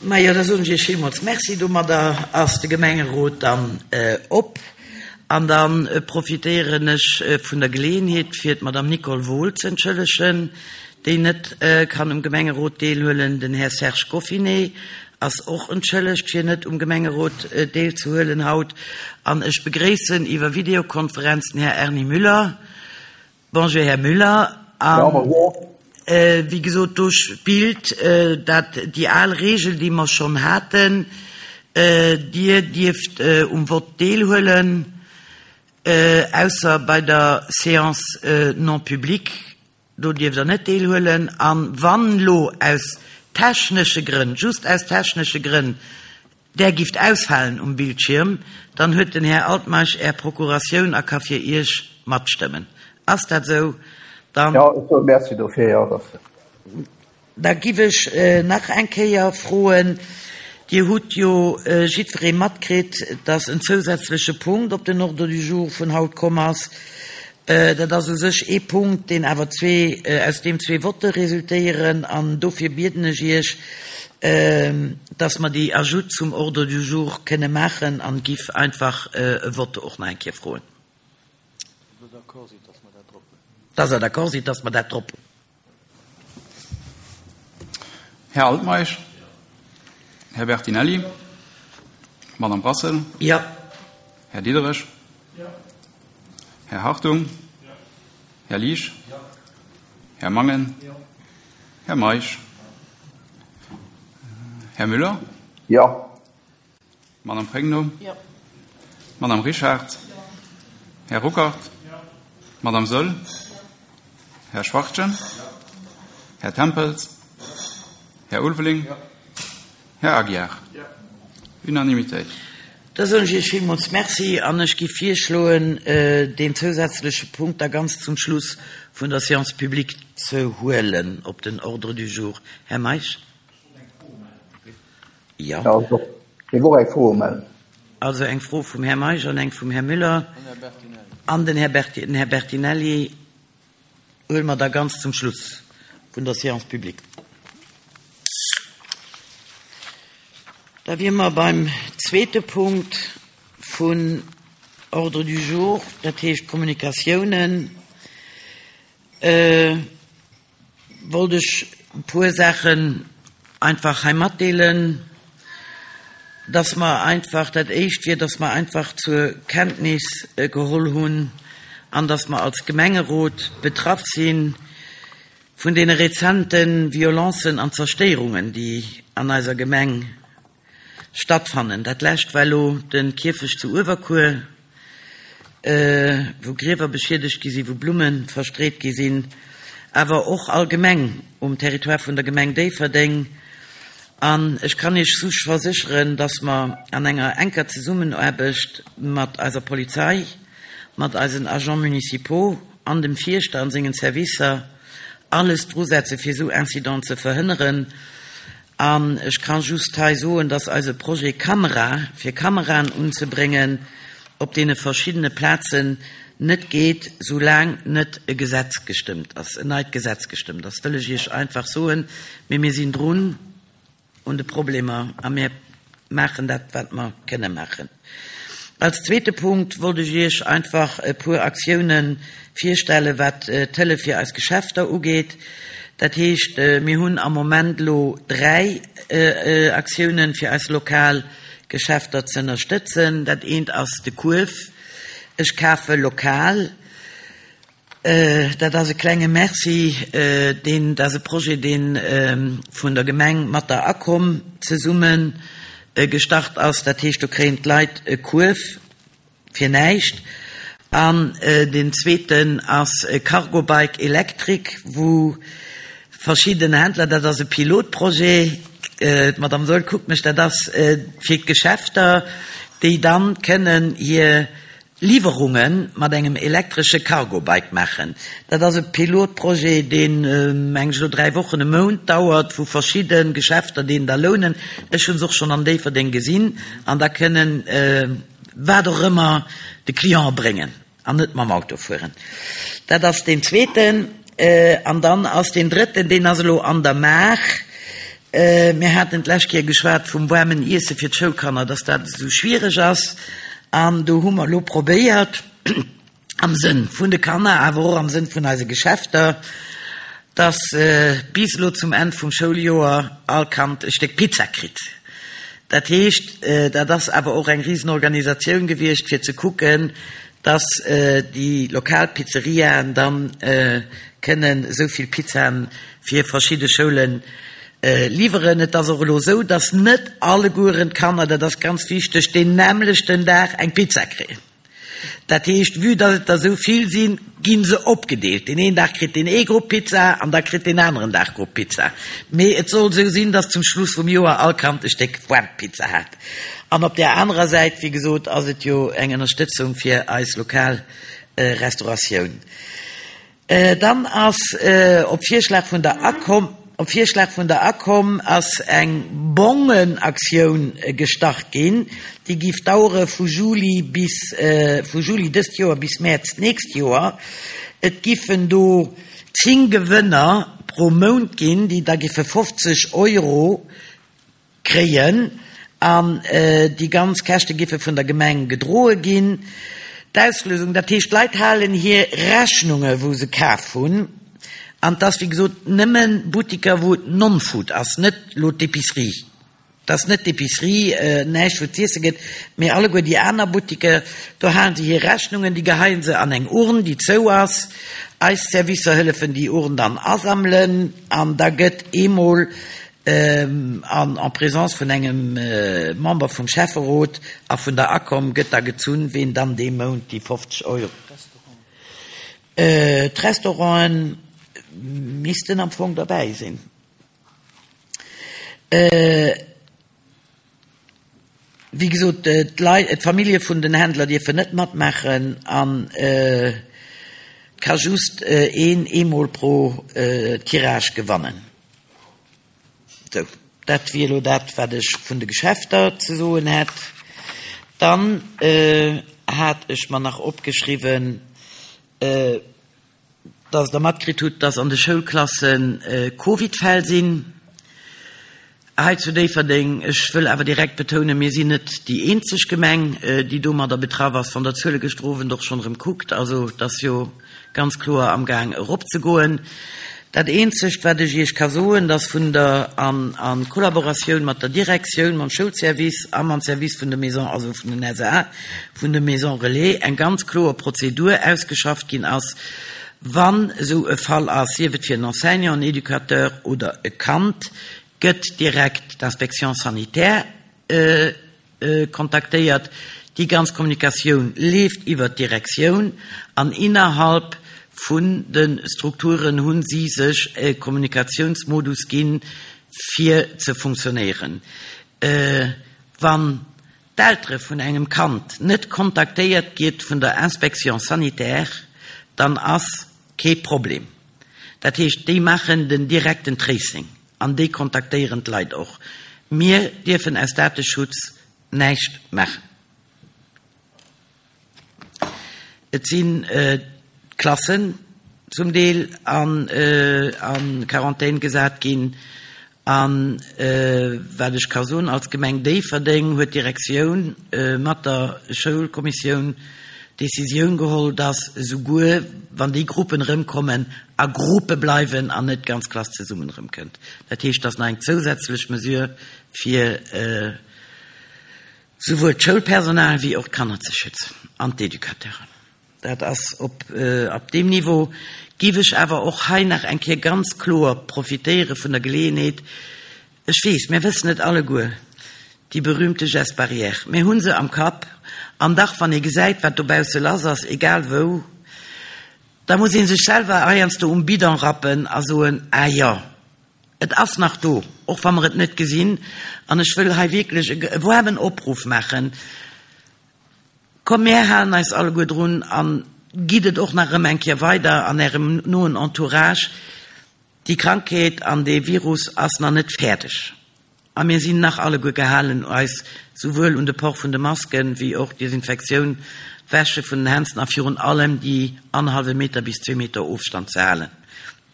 Majo, da soen ech Iech villmools Merci. Domadder ass de Gemengerot dann op. An da profitéieren ech vun der Geleeënheet, fir d'Madame Nicole Wohl ze entschëllegen, déi net kann um Gemengerot deelhuelen. Den Här Serge Goffinet ass och entschëllegt, fir net um Gemengerot deelzehuelen haut. An ech begréissen iwwer Videokonferenz den Här Erny Müller. Bonjour, Här Müller. A wéi gesot, do spillt dat déi al Regel, déi mer schonn haten, Dir dierft um Vott deelhuelen, ausser bei der Séance non publique, do dierft Der net deelhuelen. A wann elo aus technesche Grënn, just aus technesche Grënn, Där gifft ausfalen um Bildschirm, dann huet den Här Altmeisch Är Procuratioun a ka fir Iech matstëmmen. Ass dat esou? Dann. Jo, ech soe Merci dofir, jo, dass. Da giff ech nach eng Kéier froen, Dir hutt jo jiddweree matkritt, dass en zousätzleche Punkt op den Ordre du jour vun haut komm ass. Dat ass u sech ee Punkt, deen awer zwee, aus deem zwee Votte resultéieren. An dofir bieden ech Iech, dass mer déi Ajoute zum Ordre du jour kënne maachen an giff einfach e Vote och nach eng Kéier froen. Dass Der d'accord sidd, dass mer dat drop hunn. Här Altmeisch? Här Bertinelli? Madame Brassel? Jo. Här Diderich? Här Hartung? Här Liesch? Här Mangen? Här Meisch? Här Müller? Jo. Madame Pregno? Jo. Madame Richard? Jo. Här Ruckert? Jo. Madame Soll? Jo. Här Schwachtgen? Jo. Här Tempels? Jo. Här Ulveling? Jo. Här Aguiar? Jo. Unanimitéit. Da soen ech Iech villmools Merci an ech gi virschloen, deen zousätzleche Punkt da ganz zum Schluss vun der Séance publique ze huelen op den Ordre du jour. Här Meisch? Jo. Also, ech géif och eng Fro umellen. Also eng Fro vum Här Meisch an eng vum Här Müller an den Här den Här Bertinelli huele mer da ganz zum Schluss vun der Séance publique. Da wiere mer beim zweete Punkt vun Ordre du jour, dat heescht Kommunikatiounen. Wollt ech e puer Saachen einfach hei matdeelen, dass mer einfach, dat éischt wier, dass mer einfach zur Kenntnis geholl hunn an dass mer als Gemengerot betraff si vun deene rezente Violencen an Zerstéierungen, déi an eiser Gemeng stattfannen. Dat lescht war elo de Kierfecht zu Uewerkuer, wou Griewer beschiedegt gi sinn, wou Blumme verstreet gi sinn, awer och allgemeng um Territoire vun der Gemeng Déifferdeng. An ech kann Iech such versécheren, dass mer an enger enker Zesummenaarbecht mat eiser Polizei, mat eisen Agents municipaux an dem Fierschter an sengen Servicer alles drusetze fir esou Incidenten ze verhënneren. An ech ka just hei soen, dass eise Projet Kamera, fir Kameraen unzebréngen op deene verschiddene Plazen, net geet, soulaang net e Gesetz gestëmmt ass, en neit Gesetz gestëmmt ass, wëll ech Iech einfach soen. Mee mir sinn drun un de Problemer a mir maachen dat, wat mer kënne maachen. Als zweete Punkt wollt ech Iech einfach e puer Aktiounen virstellen, wat d'Hëllef fir eis Geschäfter ugeet. Dat heescht, mir hunn am Moment elo 3 Aktiounen, fir eis lokal Geschäfter ze ënnerstëtzen. Dat eent ass de Kuerf Ech kafe lokal. Dat ass e klenge Merci, deen, dat ass e Projet, dee vun der Gemeng mat der ACOM zesumme gestart ass. Dat heescht, do kréien d'Leit e Kuerf fir näischt. An deen zweeten ass e Cargo Bike Electric, wou verschidden Händler, dat ass e Pilotprojet, d'Madame Saeul kuckt mech, dat ass fir d'Geschäfter, déi dann kënnen hir Liwwerunge mat engem elektresche Cargo-Bike maachen. Dat ass e Pilotprojet, deen, meng ech, elo 3 Wochen, e Mount dauert, wou verschidde Geschäfter deen da lounen. Ech hu se och schonn an Déifferdeng gesinn. An da kënnen wat och ëmmer de Client bréngen an net mam Auto fueren. Dat ass deen zweeten. An dann ass deen drëtten, deen ass elo an der Maach. Mir haten d'lescht Kéier geschwat vum waarmen Iesse fir d'Schoulkanner, dass dat esou schwiereg ass. An do hu mer elo probéiert, am Sënn vun de Kanner, awer och am Sënn vun eise Geschäfter, dass bis elo zum Enn vum Schouljoer all Kand e Stéck Pizza kritt. Dat heescht, dat ass awer och eng Risenorganisatioun gewiescht, fir ze kucken, dass déi lokal Pizzeriaen dann kënnen esou vill Pizzaen fir verschidde Schoule liwweren. Et ass och elo esou, dass net allegueren d'Kanner, dat ass ganz wichteg, deen nämmlechten Dag eng Pizza kréien. Dat heescht, vue dass et der esou vill sinn, gi se opgedeelt. Deen een Dag kritt deen ee Grupp Pizza an da kritt deen aneren Dag Grupp Pizza. Mee et soll esou sinn, dass zum Schluss vum Joer all Kand e Stéck waarm Pizza hat. An op där anerer Säit, wéi gesot, ass et jo eng Ënnerstëtzung fir eis lokal Restauratioun. Dann ass op Virschlag vun der Acom, op Virschlag vun der Acom ass eng Bongenaktioun gestart ginn, déi giff dauere vu Juli bis, vu Juli dëst Joer bis Mäerz d'nächst Joer. Et giffen do 10 Gewënner pro Mount ginn, déi da giffe 50 Euro Kréien an déi ganz Käschte giffe vun der Gemeng gedroe ginn. D'Auslösung, dat heescht d'Leit halen hir Rechnunge wou se kaf hunn an 't ass wéi gesot nëmme Buttiker wou et Non-Food ass, net lo d'Epicerie, 't ass net d'Epicerie, näischt wou et z'iesse gëtt, mee alleguer déi aner Buttiker, do halen se hir Rechnungen, déi geheien se an eng Urn déi zou ass. Eis Servicer hëllefen déi Urn dann asammelen an da gëtt eemol An en présence vun engem Member vum Schäfferot a vun der ACOM gëtt da gezunn, ween dann dee Mount déi 50 Euro. D'Restauranten missten am Fong derbäi sinn. Wéi gesot, d'Leit, d'Famillje vun den Händler dierfen net matmaachen an et ka just een eemol pro Tirage gewannen. Sou, dat wier elo dat, wat ech vun de Geschäfter ze soen hätt. Dann hat ech mer nach opgeschriwwen, Dass Der matkritt hutt, dass an de Schoulklasse Covidfäll sinn hei zu Déifferdeng. Ech wëll awer direkt betounen, mir sinn net déi eenzeg Gemeng, déi domadder betraff ass. Wann Der d'Zuele gëschter Owend och schonn erëm kuckt, also et ass jo ganz kloer amgaang eropzegoen. Dat eenzegt, wat ech Iech ka soen, dass vun der, an a Kollaboratioun mat der Direktioun, mam Schoulservice a mam Service vun de Maisons, also vun den SAA, vun de Maisons Relais eng ganz kloer Prozedur ausgeschafft ginn ass, wann esou e Fall ass, sief et fir en Enseignant, en Educateur oder e Kand, gëtt direkt d'Inspection sanitaire kontaktéiert. Déi ganz Kommunikatioun leeft iwwert d'Direktioun an innerhalb vun de Strukturen hu si sech e Kommunikatiounsmodus ginn, fir ze funktionéieren. Wann d'Eltere vun engem Kand net kontaktéiert gitt vun der Inspection sanitaire, dann ass kee Problem. Dat heescht, déi maachen den direkten Tracing an déi kontaktéieren d'Leit och. Mir dierfen aus Dateschutz näischt maachen. Et sinn d'Klassen zum Deel a Quarantän gesat ginn. A wat ech ka soen, als Gemeng Déifferdeng huet d'Direktioun mat der Schoulkommissioun d'Decisioun geholl, dass esouguer wann déi Gruppen erëmkommen, a Gruppe bleiwen an net d'ganz Klass zesummen erëmkënnt. Dat heescht, dass nach eng zousätzlech Mesure fir souwuel d'Schoulpersonal wéi och d'Kanner ze schützen an d'Educateuren. Dat ass op op deem Niveau. Géif ech awer och hei nach eng Kéier ganz kloer profitéiere vun der Geleeënheet, ech weess, mir wëssen et alleguer, déi berühmte Gestes barrières, mir hu se am Kapp, an dach, wann ee gesäit, wat dobausse lass ass, egal wou, da muss ee sech selwer heiansdo um Bidon rappen a soen, Ah jo, Et ass nach do, och wa mer et net gesinn. An ech wëll hei wierklech e waarmen Opruff maachen, Komm, mär halen eis alleguer drun a gitt et och nach erëm eng Kéier weider an Ärem noen Entourage, Déi Krankheet an dee Virus ass nach net fäerdeg. A mir sinn nach alleguer gehalen, eis souwuel un de Port vun de Masken, wéi och d'Desinfektioun, d'Wäsche vun den Hänzen a virun allem déi annerhallwe Meter bis zwee Meter Ofstand ze halen.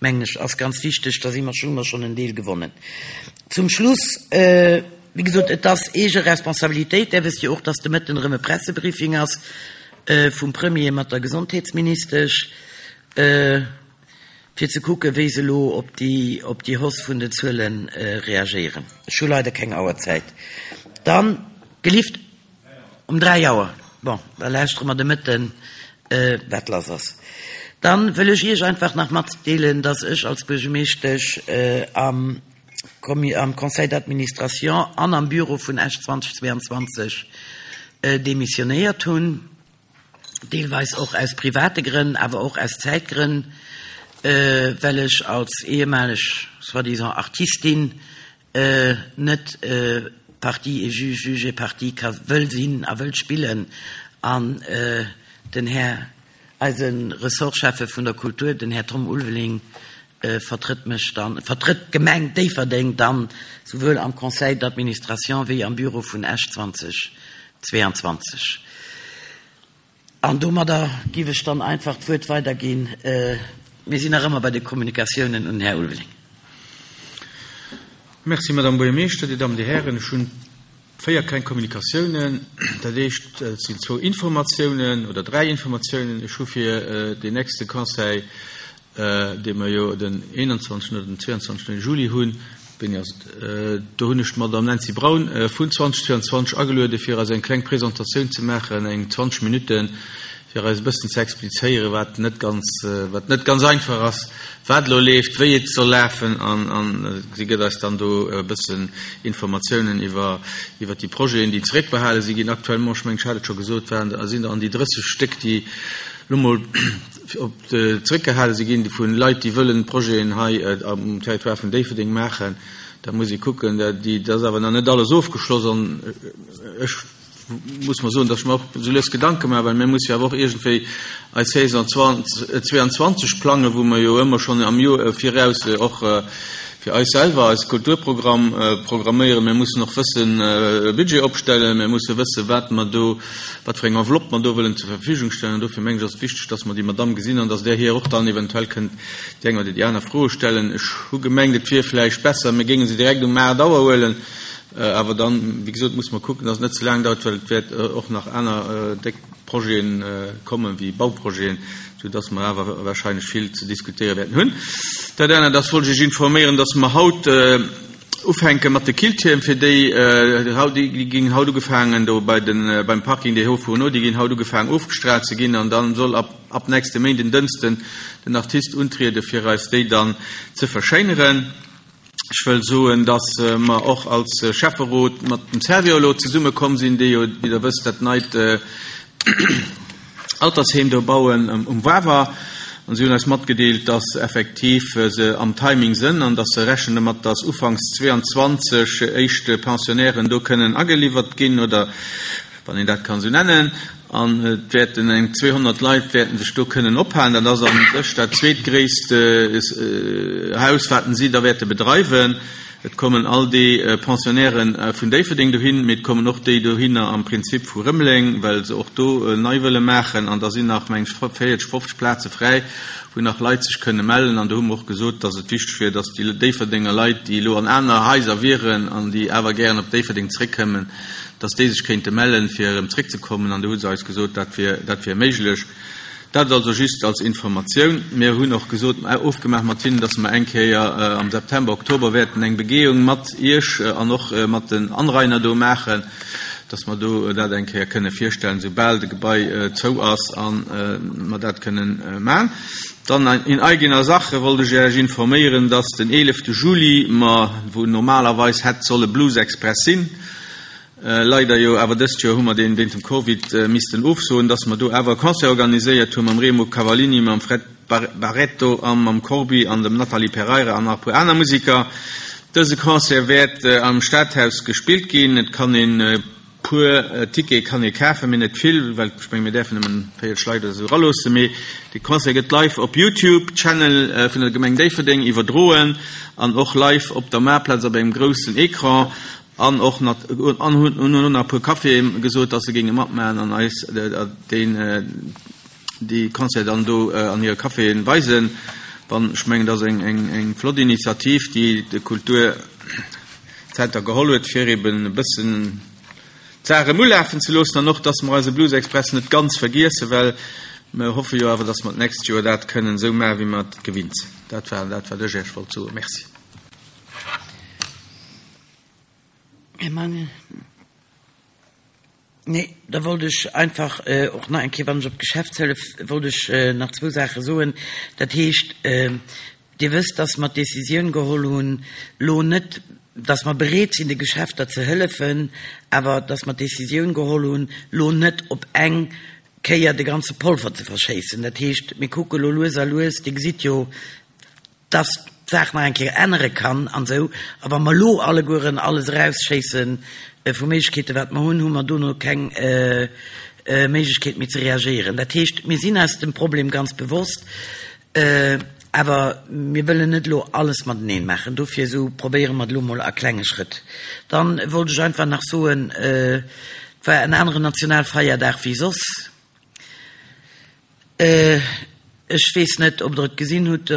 Mengen ech, ass ganz wichteg. Da si mer, hu mer schonn en Deel gewonnen. Zum Schluss, wéi gesot, et ass eege Responsabilitéit. Där wësst jo och, dass de Mëtten erëm e Pressebriefing ass vum Premier mat der Gesondheetsministesch, fir ze kucken, wéi se elo op déi, op déi Hausse vun den Zuele reagéieren. Ech hu leider keng Auerzäit. Dann, gelift. Um 3 Auer. Bon, da lauschtere mer de Mëtten, wat lass ass. Dann wëll ech Iech einfach nach matdeelen, dass ech als Buergemeeschtesch am am Conseil d'administration an am Bureau vun Esch 2022 demissionéiert hunn, deelweis och aus private Grënn, awer och aus Zäitgrënn, well ech als ehemaleg soi-disant Artistin net Partie et juge, juge et partie ka wëll sinn a wëll spillen an den Här, eise Ressortschäffe vun der Kultur, den Här Tom Ulveling, vertrëtt mech dann, vertrëtt d'Gemeng Déifferdeng dann souwuel am Conseil d'administration wéi am Bureau vun Esch 2022. An domadder giff ech dann einfach d'Wuert weiderginn, mir sinn nach ëmmer bei de Kommunikatiounen, un den Här Ulveling. Merci, Madame Buergermeeschter, Dir Dammen, Dir Hären. Ech hunn véier kleng Kommunikatiounen. Dat éischt, et sinn zwou Informatiounen oder dräi Informatiounen. Ech hu fir deen nächste Conseil dee mer jo den 21. oder den 22. Juli hunn, wéini ass et, do hunn ech d'Madame Nancy Braun vun 2022 ageluede fir eis eng kleng Presentatioun ze maachen, eng 20 Minutten, fir eis e bëssen ze explizéieren, wat net ganz, wat net ganz einfach ass, wat elo leeft, wéi et soll lafen an, an si gëtt eis dann do e bëssen Informatiounen iwwer, iwwer déi Projeten, déi zeréckbehale si ginn actuellement, ech mengen, ech hat et scho gesot, waren, sinn der an déi 30 Stéck, déi elo mol op zeréckgehale si ginn vu Leit, déi wëllen Projeten hei um Territoire vun Déifferdeng maachen. Da muss ee kucken, dat ass awer nach net alles ofgeschloss. An ech muss mer soen, datt ech mer och esou lues Gedanke maachen, well mir musse jo awer och iergendwéi eis Saison 22 plangen, wou mer jo ëmmer schonn am Joer viraus och fir eis selwer eis Kulturprogramm programméieren. Mir mussen och wëssen e Budget opstellen, mir musse wëssen, wat mer do wat fir eng Enveloppe mer do wëllen zur Verfügung stellen. An dofir mengen ech, ass et wichteg, dass mer déi Madamm gesinn an dass Der hir och dann eventuell kënnt déi eng oder déi aner Froe stellen. Ech hu gemengt, et wier vläicht besser, mir géinge se direkt um 8 Auer huelen. Awer dann, wéi gesot, musse mer kucken, dass et net ze laang dauert, well et wäert och nach aner déck Projete kommen, wéi Bauprojeten, soudass mer awer wahrscheinlech vill ze diskutéiere wäerten hunn. Dat anert ass, wollt ech Iech informéieren, dass mer haut, Ufänke mat de Killtierm, fir déi haut, déi ginn haut ugefaangen do bei den, beim Parking des Hauts Fourneaux, déi ginn haut ugefaangen ofgestraalt ze ginn an dann soll ab, ab nächste Méinden, Dënsten, den Artist untriede fir eis déi dann ze verschéineren. Ech wëll soen, dass mer och als Schäfferot mat dem Servior elo zesumme komm sinn, déi jo, wéi Der wësst, dat neit Altersheem do bauen um Wawer. An si hunn eis matgedeelt, dass effektiv se am Timing sënn an dass se rechnen domat, dass ufanks 22 éischt Pensionnairen do kënnen ageliwwert ginn, oder wann een dat kann esou nennen. An et wäerten eng 200 Leit wäerten sech do kënnen ophalen. Dat ass a sech dat zweetgréisst Haus, wat si da wäerte bedreiwen. Et kommen all déi Pensionnairen vun Déifferdeng dohin, mee et kommen och déi dohinner am Prinzip vu Rëmeleng, well se och do nei wëlle maachen. An da sinn nach, meng ech, 40, 50 Plaze fräi, wou nach Leit sech kënne mellen. An do hu mer och gesot, dass et wichteg wier, dass déi Déifferdenger Leit, déi elo an aner Haiser wieren an déi awer gären op Déifferdeng zréckkëmmen, dass déi sech kéinte mellen, fir erëm zréckzekommen. An do hu se eis gesot, dat wier, dat wier méiglech. Dat also just als Informatioun. Mir hunn och gesot, ofgemaach mat hinnen, dass mer eng Kéier am September, Oktober wäerten eng Begehung mat Iech an och mat den Anrainer do maachen, dass mer do dat eng Kéier kënne virstellen, soubal de Gebai zou ass a mer dat kënnen maachen. Dann in eigener Sache wollt ech Iech informéieren, dass den 11 Juli mer, wou normalerweis hätt solle Blues Express sinn, Leider jo awer dëst Joer hu mer deen wéint dem Covid missten ofsoen, dass mer do awer e Concert organiséiert hu mam Remo Cavallini, mam Fred Barreto a mam Corbi an dem Nathalie Pereira an nach e puer aner Musiker. Dëse Concert wäert am Stadhaus gespillt ginn. Et kann een e puer Tickete kann ee kafen, mee net vill, well ech menge mir däerfen nëmmen 40 Leit oder esou eraloossen. Mee de Concert gëtt live op Youtube Channel vun der Gemeng Déifferdeng iwwerdroen an och live op der Maartplaz op engem groussen Ecran. An och nat an hunn hunn nach e puer Caféë gesot, dass se géinge matmaachen an eis deen déi Concert dann do an hire Caféen weisen. Wann, ech mengen, dat ass eng, eng, eng flott Initiativ, déi de Kulturzenter geholl huet, fir eben e bëssen d'Saach erëm ulafen ze loossen an och, dass mer eise Blues Express net ganz vergiessen, well mer hoffe jo awer, dass mer d'nächst Joer dat kënnen esou maachen, wéi mer et gewinnt sinn. Dat war dat, wat ech Iech wollt soen. Merci. Här Mangel. Nee, da wollt ech einfach och nach eng Kéier, wann ech op d'Geschäftshëllef, wollt ech nach zwou Saache soen. Dat heescht, Dir wësst, dass mer d'Décisioun geholl hunn, lo net, dass mer bereet sinn, de Geschäfter ze hëllefen, awer dass mer d'Décisioun geholl hunn, lo net op eng Kéier de ganze Polver ze verschéissen. Dat heescht, mir kucke lo lues a lues, Dir gesitt jo, dass d'Saach nach eng Kéier ännere kann an esou. A wa mer elo allegueren alles erausschéisse vu Méiglechkeeten, wat mer hunn, hu mer dono keng Méiglechkeet méi ze reagéieren. Dat heescht, mir sinn eis dem Problem ganz bewosst, awer mir wëllen net elo alles mateneen maachen. Dofir esou probéiere mer et elo mol a klenge Schrëtt. Dann wollt ech einfach nach soen, et war en aneren Nationalfeierdag wéi soss. Ech weess net, ob Der et gesinn hutt,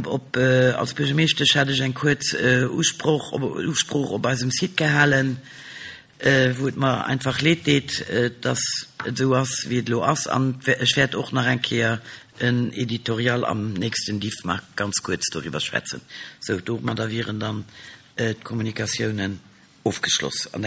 op, als Buergermeeschtesch hat ech eng kuerz Usproch, Usprooch op eisem Site gehalen, wou et mer einfach leed deet, dass et esou ass, wéi et elo ass. An ech wäert och nach eng Kéier en Editorial am nächsten Diffmag ganz kuerz doriwwer schwätzen. Sou, domadder wieren dann d'Kommunikatiounen ofgeschloss. An.